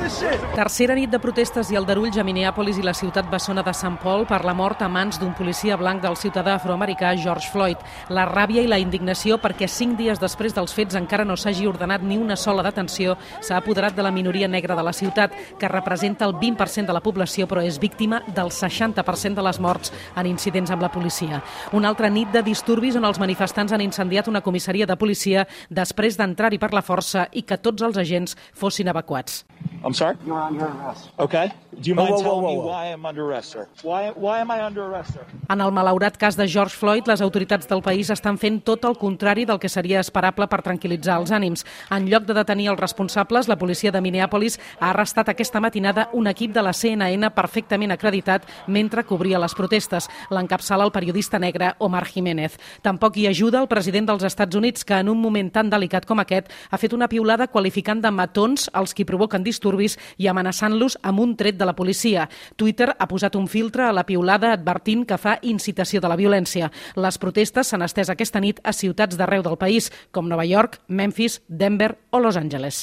Tercera nit de protestes i aldarulls a Minneapolis i la ciutat bessona de St. Paul per la mort a mans d'un policia blanc del ciutadà afroamericà George Floyd. La ràbia i la indignació perquè 5 dies després dels fets encara no s'hagi ordenat ni una sola detenció s'ha apoderat de la minoria negra de la ciutat, que representa el 20% de la població però és víctima del 60% de les morts en incidents amb la policia. Una altra nit de disturbis on els manifestants han incendiat una comissaria de policia després d'entrar-hi per la força i que tots els agents fossin evacuats. I'm sorry? You're under arrest. Okay. Do you mind telling me why I'm under arrest, sir? Why am I under arrest, sir? En el malaurat cas de George Floyd, les autoritats del país estan fent tot el contrari del que seria esperable per tranquil·litzar els ànims. En lloc de detenir els responsables, la policia de Minneapolis ha arrestat aquesta matinada un equip de la CNN perfectament acreditat mentre cobria les protestes. L'encapçala el periodista negre Omar Jiménez. Tampoc hi ajuda el president dels Estats Units, que en un moment tan delicat com aquest ha fet una piulada qualificant de matons els qui provoquen disturbis i amenaçant-los amb un tret de la policia. Twitter ha posat un filtre a la piulada advertint que fa incitació de la violència. Les protestes s'han estès aquesta nit a ciutats d'arreu del país, com Nova York, Memphis, Denver o Los Angeles.